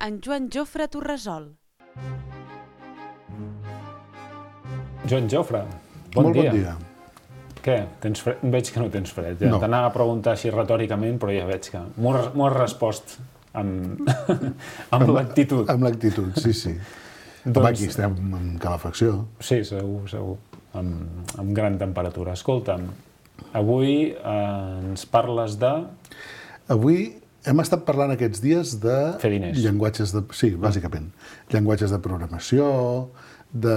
En Joan Jofre Torresol. Joan Jofre, bon dia. Molt bon dia. Què? Tens fred? Veig que no tens fred. Ja. No. T'anava a preguntar així retòricament, però ja veig que m'ho has respost amb, amb l'actitud. Amb l'actitud, sí, sí. Doncs... Home, aquí estem en calefacció. Sí, segur, segur. Amb, amb gran temperatura. Escolta'm, avui eh, ens parles de... Avui hem estat parlant aquests dies de... Fer diners. Llenguatges de... Sí, bàsicament. Llenguatges de programació, de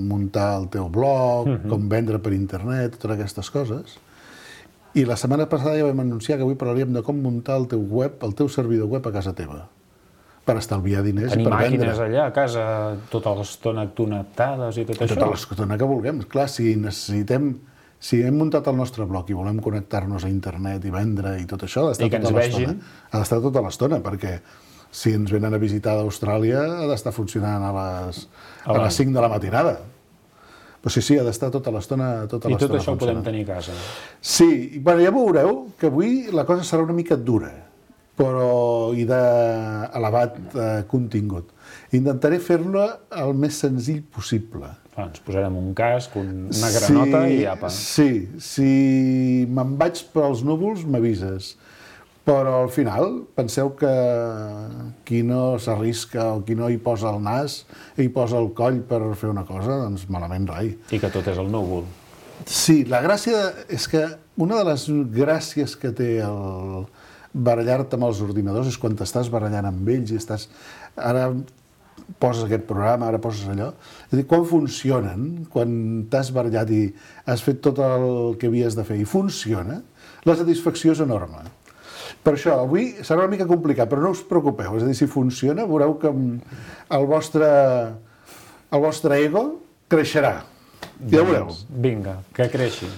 muntar el teu blog, uh-huh. com vendre per internet, totes aquestes coses. I la setmana passada ja vam anunciar que avui parlaríem de com muntar el teu web, el teu servidor web a casa teva, per estalviar diners Tenir i per vendre. Tenir màquines allà a casa tota l'estona connectades i tot això? Tota l'estona que vulguem. Clar, si necessitem... Si hem muntat el nostre blog i volem connectar-nos a internet i vendre i tot això, ha d'estar tota l'estona. Ha d'estar tota l'estona, perquè si ens venen a visitar d'Austràlia ha d'estar funcionant a les, a les cinc de la matinada. Però sí, sí, ha d'estar tota l'estona tota I tot això ho podem tenir a casa. Sí, bueno, ja veureu que avui la cosa serà una mica dura, però i d'elevat eh, contingut. Intentaré fer-la el més senzill possible. Ah, ens posarem un casc, una granota sí, i apa. Sí, si me'n vaig pels núvols m'avises, però al final penseu que qui no s'arrisca o qui no hi posa el nas i hi posa el coll per fer una cosa, doncs malament rai. I que tot és el núvol. Sí, la gràcia és que una de les gràcies que té el barallar-te amb els ordinadors és quan t'estàs barallant amb ells i estàs... Ara poses aquest programa, ara poses allò. És a dir, quan funcionen, quan t'has barallat i has fet tot el que havies de fer i funciona, la satisfacció és enorme. Per això, avui serà una mica complicat, però no us preocupeu. És a dir, si funciona, veureu que el vostre, el vostre ego creixerà. Ja ho veureu. Vinga, que creixi.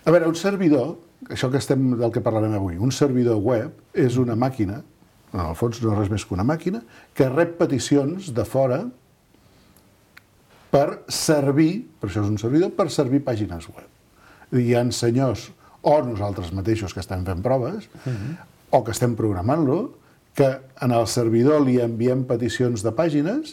A veure, un servidor, això que estem, del que parlarem avui, un servidor web és una màquina, en el fons no és res més que una màquina, que rep peticions de fora per servir, per això és un servidor, per servir pàgines web. Hi ha senyors, o nosaltres mateixos que estem fent proves, uh-huh. o que estem programant-lo, que en el servidor li enviem peticions de pàgines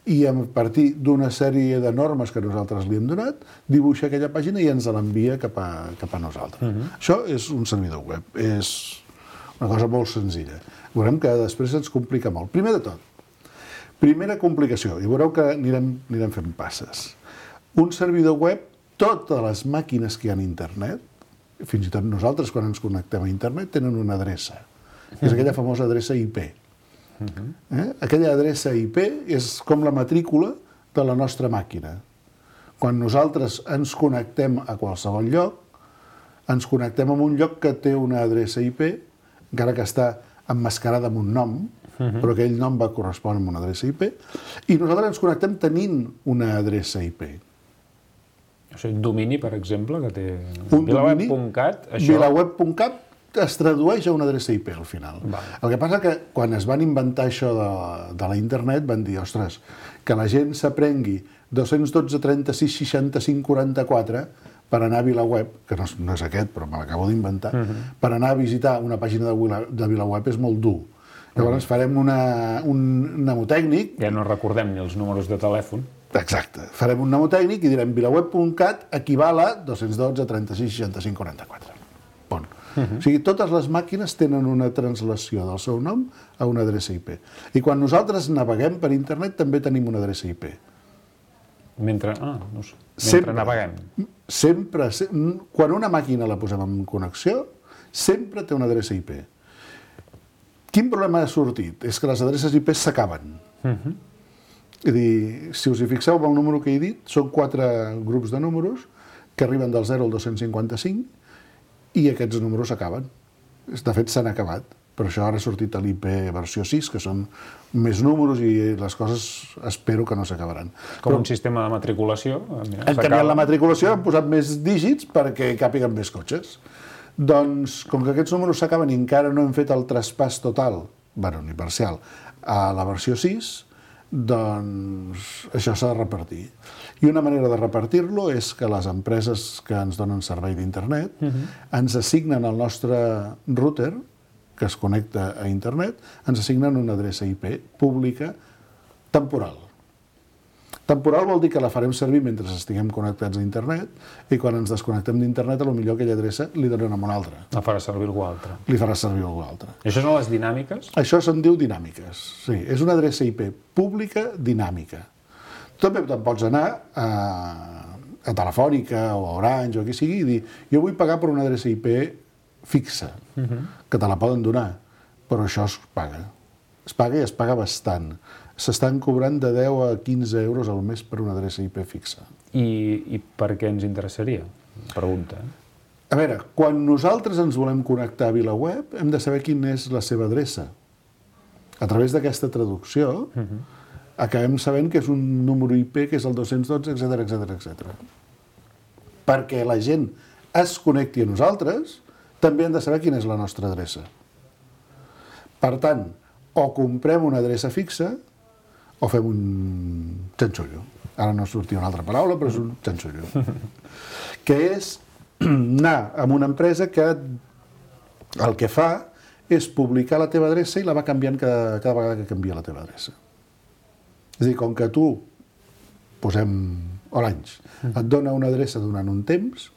i a partir d'una sèrie de normes que nosaltres li hem donat, dibuixa aquella pàgina i ens l'envia cap a, cap a nosaltres. Uh-huh. Això és un servidor web, és una cosa molt senzilla. Veurem que després ens complica molt. Primer de tot, primera complicació, i veureu que anirem, anirem fent passes. Un servidor web, totes les màquines que hi ha a internet, fins i tot nosaltres quan ens connectem a internet, tenen una adreça. És aquella famosa adreça I P. Eh? Aquella adreça I P és com la matrícula de la nostra màquina. Quan nosaltres ens connectem a qualsevol lloc, ens connectem a un lloc que té una adreça I P, encara que està emmascarada amb un nom, uh-huh. però aquell nom va correspondre amb una adreça I P, i nosaltres ens connectem tenint una adreça I P. Això és un domini, per exemple, que té un vilaweb punt cat. Això... vilaweb punt cat es tradueix a una adreça I P al final. Vale. El que passa que quan es van inventar això de, de la internet van dir, ostres, que la gent s'aprengui dos cents dotze trenta-sis seixanta-cinc quaranta-quatre per anar a VilaWeb, que no és, no és aquest, però me l'acabo d'inventar, uh-huh. per anar a visitar una pàgina de, Vila, de VilaWeb és molt dur. Llavors uh-huh. farem una, un mnemotècnic... Ja no recordem ni els números de telèfon. Exacte. Farem un mnemotècnic i direm vilaweb punt cat equival a dos cents dotze trenta-sis seixanta-cinc quaranta-quatre. Bon. Uh-huh. O sigui, totes les màquines tenen una translació del seu nom a una adreça I P. I quan nosaltres naveguem per internet també tenim una adreça I P. Mentre, ah, no sé, mentre sempre, naveguem. Sempre, sempre, quan una màquina la posem en connexió, sempre té una adreça I P. Quin problema ha sortit? És que les adreces I P s'acaben. Uh-huh. És a dir, si us hi fixeu amb el número que he dit, són quatre grups de números que arriben del zero al dos-cents cinquanta-cinc i aquests números s'acaben. De fet, s'han acabat. Per això ara ha sortit l'I P versió sis, que són més números i les coses espero que no s'acabaran. Com Però, un sistema de matriculació. Mira, hem canviat la matriculació, hem posat més dígits perquè càpiguen més cotxes. Doncs, com que aquests números s'acaben i encara no hem fet el traspàs total, bueno, ni parcial, a la versió sis, doncs això s'ha de repartir. I una manera de repartir-lo és que les empreses que ens donen servei d'internet uh-huh. ens assignen el nostre router, que es connecta a internet, ens assignen una adreça I P pública temporal. Temporal vol dir que la farem servir mentre estiguem connectats a internet i quan ens desconnectem d'internet, potser aquella adreça li donen a una altra. La farà servir algú altre. Li farà servir algú altre. I això són les dinàmiques? Això se'n diu dinàmiques, sí. És una adreça I P pública dinàmica. També te'n pots anar a, a Telefònica o a Orange o a qui sigui i dir jo vull pagar per una adreça I P fixa, uh-huh. que te la poden donar, però això es paga. Es paga i es paga bastant. S'estan cobrant de deu a quinze euros al mes per una adreça I P fixa. I, i per què ens interessaria? Pregunta. A veure, quan nosaltres ens volem connectar a VilaWeb, hem de saber quina és la seva adreça. A través d'aquesta traducció, uh-huh. acabem sabent que és un número I P, que és el dos-cents dotze, etcètera, etcètera, etcètera. Perquè la gent es connecti a nosaltres, també hem de saber quina és la nostra adreça. Per tant, o comprem una adreça fixa, o fem un xanxullo. Ara no sortia una altra paraula, però és un xanxullo. Que és anar amb una empresa que el que fa és publicar la teva adreça i la va canviant cada, cada vegada que canvia la teva adreça. És a dir, com que tu, posem Orange, et dona una adreça durant un temps,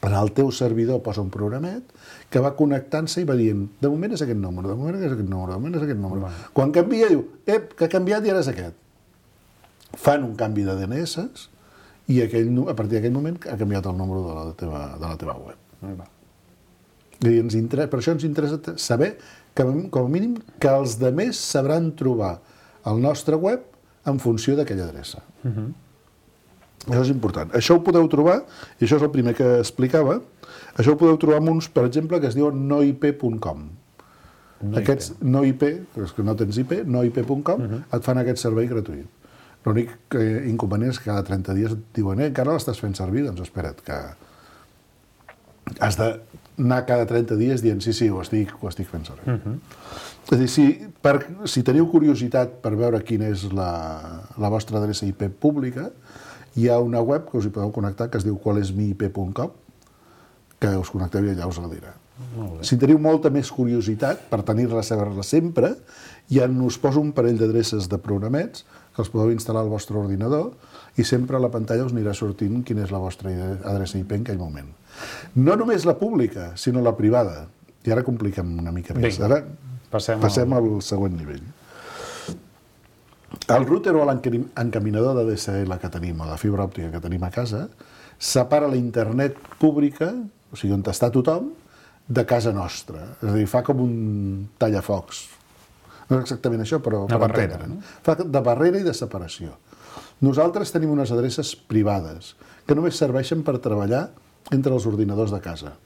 en el teu servidor posa un programet que va connectant-se i va dient de moment és aquest número, de moment és aquest número, de moment és aquest número. Bueno. Quan canvia, diu, ep, que ha canviat i ara és aquest. Fan un canvi de D N S i aquell, a partir d'aquell moment ha canviat el número de la teva, de la teva web. Va. I ens interessa, per això ens interessa saber que, com a mínim, que els demés sabran trobar el nostre web en funció d'aquella adreça. Uh-huh. Això és important. Això ho podeu trobar, i això és el primer que explicava, això ho podeu trobar amb uns, per exemple, que es diuen no I P punt com. No Aquests no I P, és que no tens I P, no I P punt com, uh-huh. et fan aquest servei gratuït. L'únic inconvenient és que cada trenta dies et diuen, eh, encara l'estàs fent servir? Doncs espera't, que has d'anar cada trenta dies dient, sí, sí, ho estic, ho estic fent servir. Uh-huh. És a dir, si, per, si teniu curiositat per veure quina és la, la vostra adreça I P pública, hi ha una web que us hi podeu connectar que es diu qual és mi I P punt com, que us connecteu i allà us la dirà. Si teniu molta més curiositat per tenir-la, saber-la sempre, ja us poso un parell d'adreces de programets que els podeu instal·lar al vostre ordinador i sempre a la pantalla us anirà sortint quina és la vostra adreça I P en aquell moment. No només la pública, sinó la privada. I ara compliquem una mica més. Ara passem, passem al següent nivell. El router o l'encaminador de D S L que tenim, o de fibra òptica que tenim a casa, separa la internet pública, o sigui, on està tothom, de casa nostra. És a dir, fa com un tallafocs. No és exactament això, però per entendre. No? Fa de barrera i de separació. Nosaltres tenim unes adreces privades que només serveixen per treballar entre els ordinadors de casa.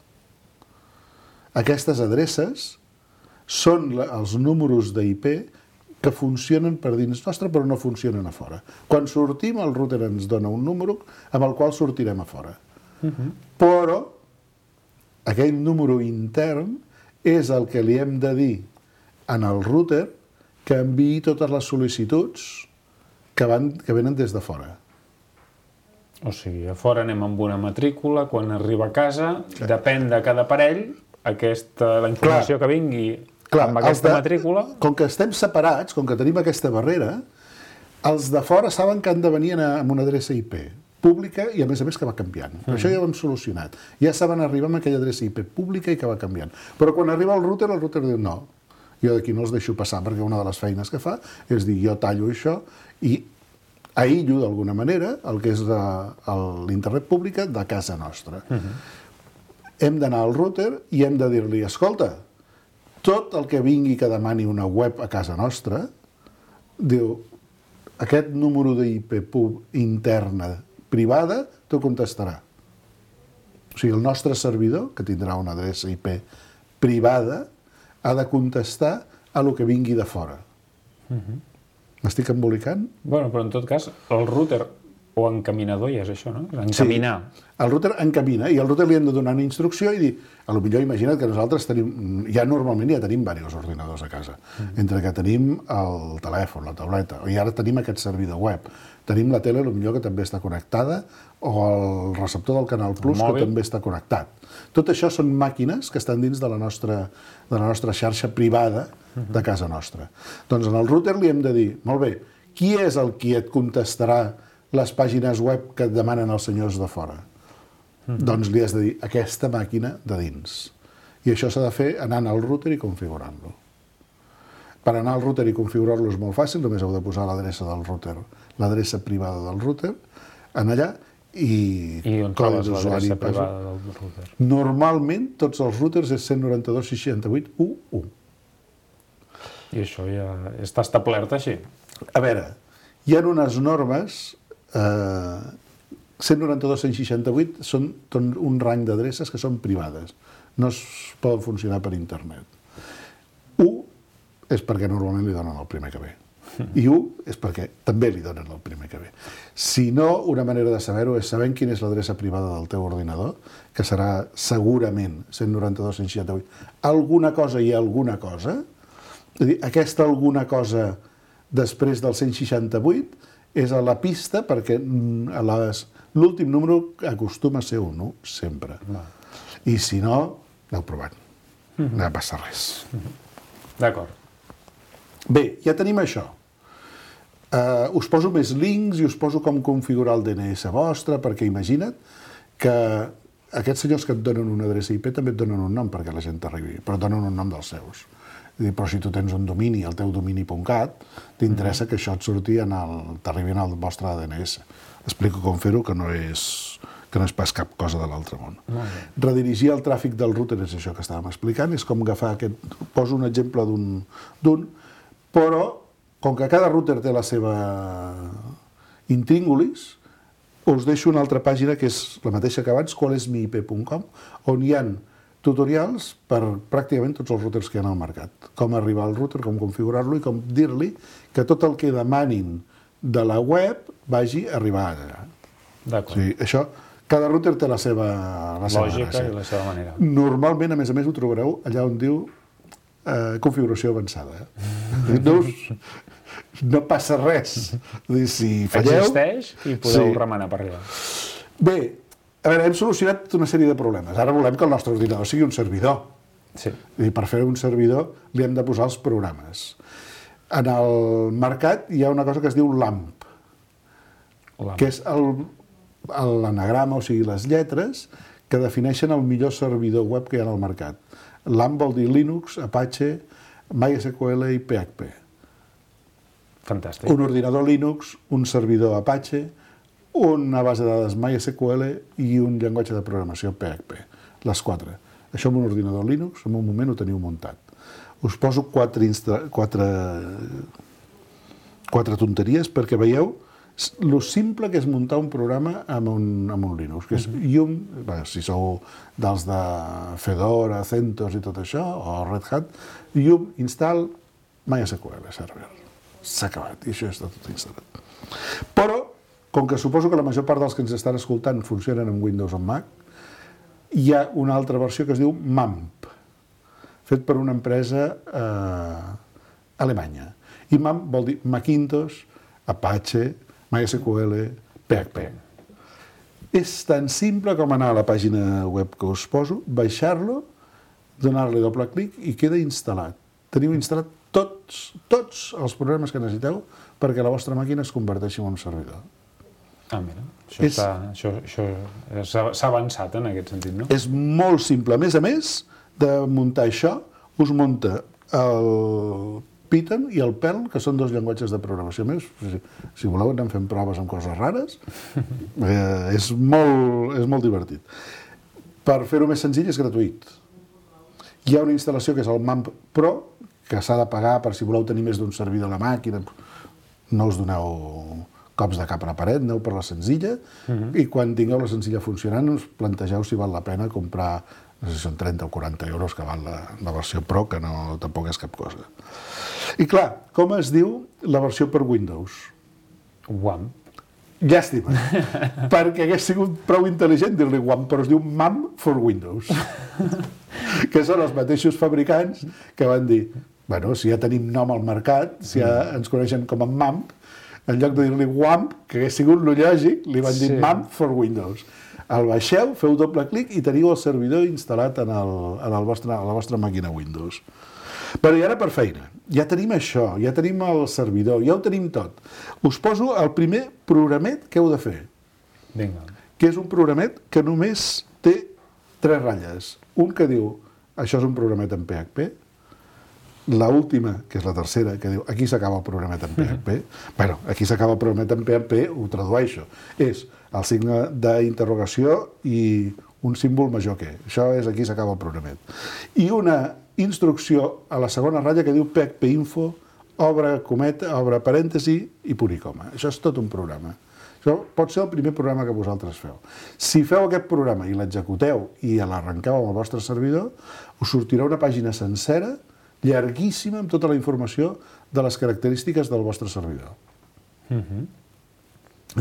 Aquestes adreces són els números d'I P que funcionen per dins nostre però no funcionen a fora. Quan sortim, el router ens dona un número amb el qual sortirem a fora. Uh-huh. Però aquell número intern és el que li hem de dir en el router que enviï totes les sol·licituds que, van, que venen des de fora. O sigui, a fora anem amb una matrícula, quan arriba a casa, clar, depèn de cada aparell, aquesta, la informació clar, que vingui clar, amb aquesta de, matrícula... Com que estem separats, com que tenim aquesta barrera, els de fora saben que han de venir amb una adreça I P pública i, a més a més, que va canviant. Mm. Això ja ho hem solucionat. Ja saben arribar amb aquella adreça I P pública i que va canviant. Però quan arriba el router, el router diu no, jo d'aquí no els deixo passar, perquè una de les feines que fa és dir, jo tallo això i aïllo d'alguna manera el que és l'internet pública de casa nostra. Mm-hmm. Hem d'anar al router i hem de dir-li, escolta, tot el que vingui que demani una web a casa nostra, diu, aquest número d'I P interna privada t'ho contestarà. O sigui, el nostre servidor, que tindrà una adreça I P privada, ha de contestar a lo que vingui de fora. Uh-huh. M'estic embolicant? Bueno, però en tot cas, el router o encaminador ja és això, no? Encaminar. Sí, el router encamina i al router li hem de donar una instrucció i dir, a lo millor imagina't que nosaltres tenim, ja normalment ja tenim diversos ordinadors a casa, mm. entre que tenim el telèfon, la tauleta, i ara tenim aquest servidor web, tenim la tele, a lo millor que també està connectada, o el receptor del Canal Plus, que també està connectat. Tot això són màquines que estan dins de la nostra, de la nostra xarxa privada de casa nostra. Doncs en el router li hem de dir, molt bé, qui és el qui et contestarà les pàgines web que et demanen els senyors de fora? Mm. Doncs li has de dir aquesta màquina de dins. I això s'ha de fer anant al router i configurant-lo. Per anar al router i configurar-lo és molt fàcil, només heu de posar l'adreça del router, l'adreça privada del router, en allà, i, I on trobes l'adreça privada del router? Normalment, tots els routers és cent noranta-dos seixanta-vuit u u. I això ja està establert així? A veure, hi ha unes normes, eh, cent noranta-dos cent seixanta-vuit són un rany d'adreces que són privades, no es poden funcionar per internet. U és perquè normalment li donen el primer que ve, i u és perquè també li donen el primer que ve. Si no, una manera de saber-ho és sabent quina és l'adreça privada del teu ordinador, que serà segurament cent noranta-dos cent seixanta-vuit. Alguna cosa i alguna cosa, és a dir, aquesta alguna cosa després del cent seixanta-vuit és a la pista perquè l'últim número acostuma a ser un u, sempre. I si no, aneu provant. No passa res. D'acord. Bé, ja tenim això. Uh, us poso més links i us poso com configurar el D N S vostre, perquè imagina't que aquests senyors que et donen una adreça I P també et donen un nom perquè la gent t'arribi, però et donen un nom dels seus. Però si tu tens un domini, el teu domini punt cat, t'interessa que això et surti en el, t'arribi en el vostre D N S. Explico com fer-ho, que no és que no és pas cap cosa de l'altre món. Redirigir el tràfic del router és això que estàvem explicant, és com agafar aquest... Poso un exemple d'un, però com que cada router té la seva intríngulis, us deixo una altra pàgina que és la mateixa que abans, qual és mi I P punt com, on hi ha tutorials per pràcticament tots els routers que hi ha al mercat. Com arribar al router, com configurar-lo i com dir-li que tot el que demanin de la web vagi a arribar allà. D'acord. O sigui, això, cada router té la seva, la seva lògica gràcia. I la seva manera. Normalment, a més a més, ho trobareu allà on diu eh, configuració avançada. No, no passa res. Dir, si falleu... Existeix i podeu sí. remenar per allà. Bé, a veure, hem solucionat una sèrie de problemes. Ara volem que el nostre ordinador sigui un servidor. Sí. I per fer un servidor li hem de posar els programes. En el mercat hi ha una cosa que es diu LAMP, LAMP. que és l'anagrama, o sigui, les lletres que defineixen el millor servidor web que hi ha al mercat. LAMP vol dir Linux, Apache, MySQL i P H P. Fantàstic. Un ordinador Linux, un servidor Apache, una base de dades MySQL i un llenguatge de programació P H P. Les quatre. Això amb un ordinador Linux, en un moment ho teniu muntat. Us poso quatre, quatre, quatre tonteries perquè veieu lo simple que és muntar un programa amb un, amb un Linux, que és Yum, bé, si sou dels de Fedora, CentOS i tot això, o Red Hat, Yum, install, MySQL server. S'ha acabat, i això està tot instal·lat. Però, com que suposo que la major part dels que ens estan escoltant funcionen amb Windows o Mac, hi ha una altra versió que es diu MAMP, fet per una empresa eh, alemanya. I MAMP vol dir Macintosh, Apache, MySQL, P H P. És tan simple com anar a la pàgina web que us poso, baixar-lo, donar-li doble clic i queda instal·lat. Teniu instal·lat tots, tots els programes que necessiteu perquè la vostra màquina es converteixi en un servidor. Ah, mira, això És- està- això- això s'ha s'ha avançat en aquest sentit, no? És molt simple. A més a més de muntar això, us munta el Python i el Perl, que són dos llenguatges de programació més. Si, si voleu anem fent proves amb coses rares. Eh, és, molt, és molt divertit. Per fer-ho més senzill és gratuït. Hi ha una instal·lació que és el MAMP Pro, que s'ha de pagar per si voleu tenir més d'un servidor a la màquina. No us doneu cops de cap a la paret, aneu per la senzilla, i quan tingueu la senzilla funcionant us plantegeu si val la pena comprar, no sé si són trenta o quaranta euros que val la, la versió Pro, que no, tampoc és cap cosa. I clar, com es diu la versió per Windows? WAMP. Llàstima, perquè hagués sigut prou intel·ligent dir-li WAMP, però es diu MAM for Windows, que són els mateixos fabricants que van dir, bueno, si ja tenim nom al mercat, si ja ens coneixen com a MAMP, en lloc de dir-li WAMP, que hagués sigut lo lògic, li van dir Sí. MAMP for Windows. El baixeu, feu doble clic i teniu el servidor instal·lat en, el, en el vostre, a la vostra màquina Windows. Però i ara per feina. Ja tenim això, ja tenim el servidor, ja ho tenim tot. Us poso el primer programet que heu de fer, Vinga. que és un programet que només té tres ratlles. Un que diu, això és un programet en P H P, la última, que és la tercera, que diu, aquí s'acaba el programet en P H P. Bueno, aquí s'acaba el programet en P H P, ho tradueixo. És el signe d'interrogació i un símbol major que. Això és aquí s'acaba el programet. I una instrucció a la segona ratlla que diu P H P info, obre cometa, obre parèntesi i punt i coma. Això és tot un programa. Això pot ser el primer programa que vosaltres feu. Si feu aquest programa i l'executeu i l'arrenqueu amb el vostre servidor, us sortirà una pàgina sencera, llarguíssima, amb tota la informació de les característiques del vostre servidor. Uh-huh.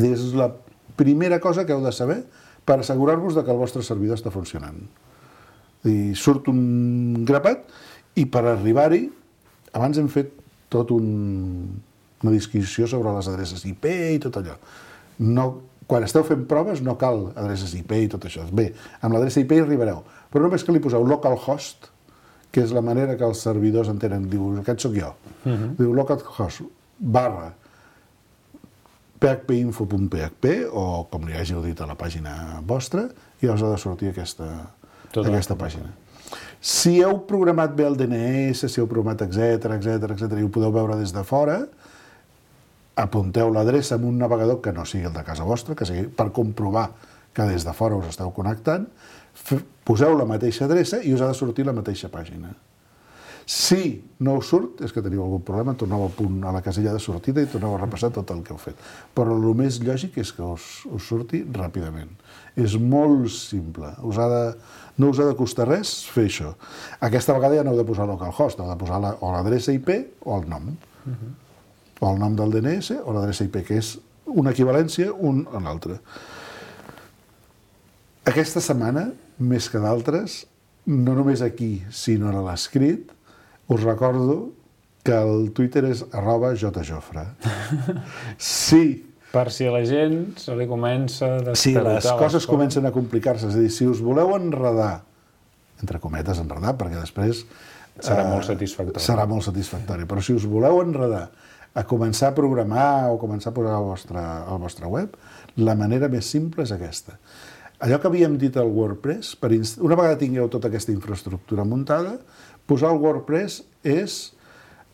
És la primera cosa que heu de saber per assegurar-vos que el vostre servidor està funcionant. I surt un grapat i per arribar-hi, abans hem fet tot un, una disquisició sobre les adreces I P i tot allò. No, quan esteu fent proves no cal adreces I P i tot això. Bé, amb l'adreça I P hi arribareu, però només que li poseu localhost, que és la manera que els servidors entenen. Diu, aquest sóc jo. Uh-huh. Diu localhost barra phpinfo punt p h p o com li hàgiu dit a la pàgina vostra, i us ha de sortir aquesta, aquesta pàgina. Si heu programat bé el D N S, si heu programat etcètera, etcètera, etcètera, i ho podeu veure des de fora, apunteu l'adreça en un navegador que no sigui el de casa vostra, que sigui per comprovar que des de fora us esteu connectant, poseu la mateixa adreça i us ha de sortir la mateixa pàgina. Si no us surt, és que teniu algun problema, torneu al punt, a la casella de sortida i torneu a repassar tot el que heu fet. Però el més lògic és que us, us surti ràpidament. És molt simple. Us ha de, no us ha de costar res fer això. Aquesta vegada ja no heu de posar localhost, heu de posar la, o l'adreça I P o el nom. Uh-huh. O el nom del D N S o l'adreça I P, que és una equivalència un a l'altre. Aquesta setmana, més que d'altres, no només aquí, sinó a l'escrit, us recordo que el Twitter és arroba jjofre. Sí. Per si a la gent se li comença a despertar. Sí, les coses comencen a complicar-se. És a dir, si us voleu enredar, entre cometes enredar, perquè després serà molt satisfactori. Serà molt satisfactori. Però si us voleu enredar a començar a programar o començar a posar al vostre, al vostre web, la manera més simple és aquesta. Allò que havíem dit al WordPress, per inst... una vegada tingueu tota aquesta infraestructura muntada, posar el WordPress és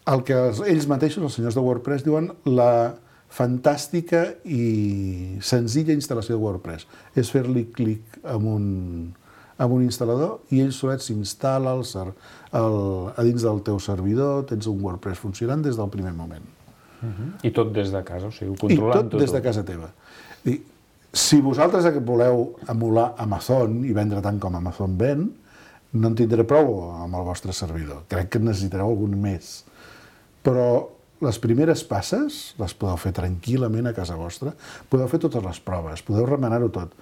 el que ells mateixos, els senyors de WordPress, diuen la fantàstica i senzilla instal·lació de WordPress. És fer-li clic amb un, amb un instal·lador i ell solet s'instal·la el, el, a dins del teu servidor, tens un WordPress funcionant des del primer moment. Uh-huh. I tot des de casa, o sigui, controlant tot. I tot des de casa teva. I si vosaltres voleu emular Amazon i vendre tant com Amazon ven, no en tindré prou amb el vostre servidor. Crec que necessitareu algun més. Però les primeres passes les podeu fer tranquil·lament a casa vostra. Podeu fer totes les proves, podeu remenar-ho tot.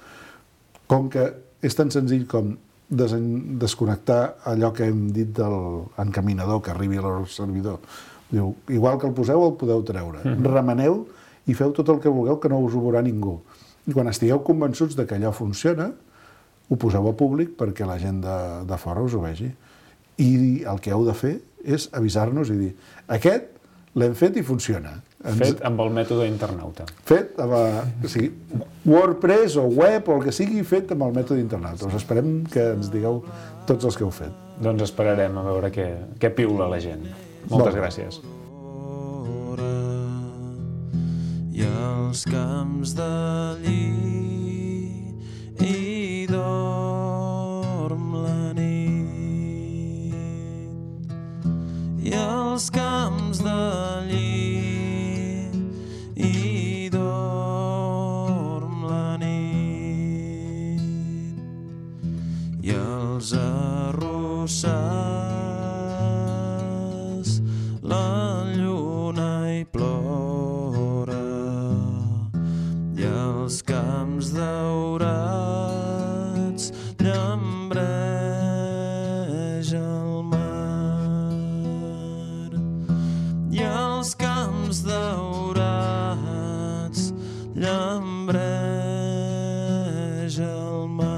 Com que és tan senzill com desconnectar allò que hem dit del encaminador que arribi al servidor. Diu, igual que el poseu, el podeu treure. Mm-hmm. Remeneu i feu tot el que vulgueu, que no us ho veurà ningú. I quan estigueu convençuts de que allò funciona, ho poseu a públic perquè la gent de, de fora us ho vegi. I el que heu de fer és avisar-nos i dir aquest l'hem fet i funciona. Ens... Fet amb el mètode internauta. Fet amb la... o sigui, WordPress o web o el que sigui, fet amb el mètode internauta. Us esperem que ens digueu tots els que heu fet. Doncs esperarem a veure què, què piula la gent. Moltes bon. gràcies. I els camps de lli i dorm la nit. I els camps de lli i dorm la nit. I els arrossars la lluna hi plora. I els camps daurats llambreja el mar. I els camps daurats llambreja el mar.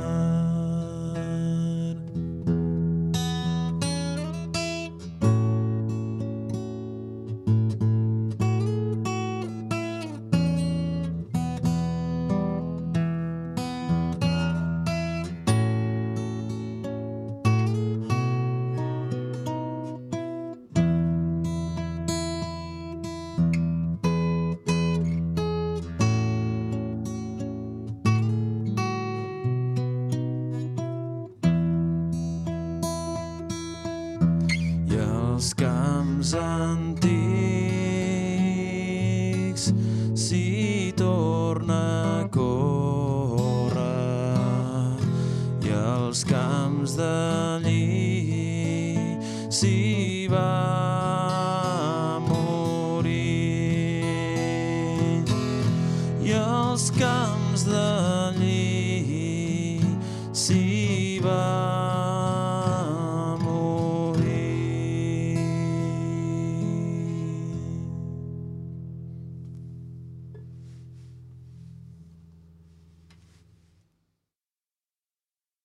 als camps antics s'hi torna a córrer i als camps d'allí s'hi va morir i als camps d'allí s'hi va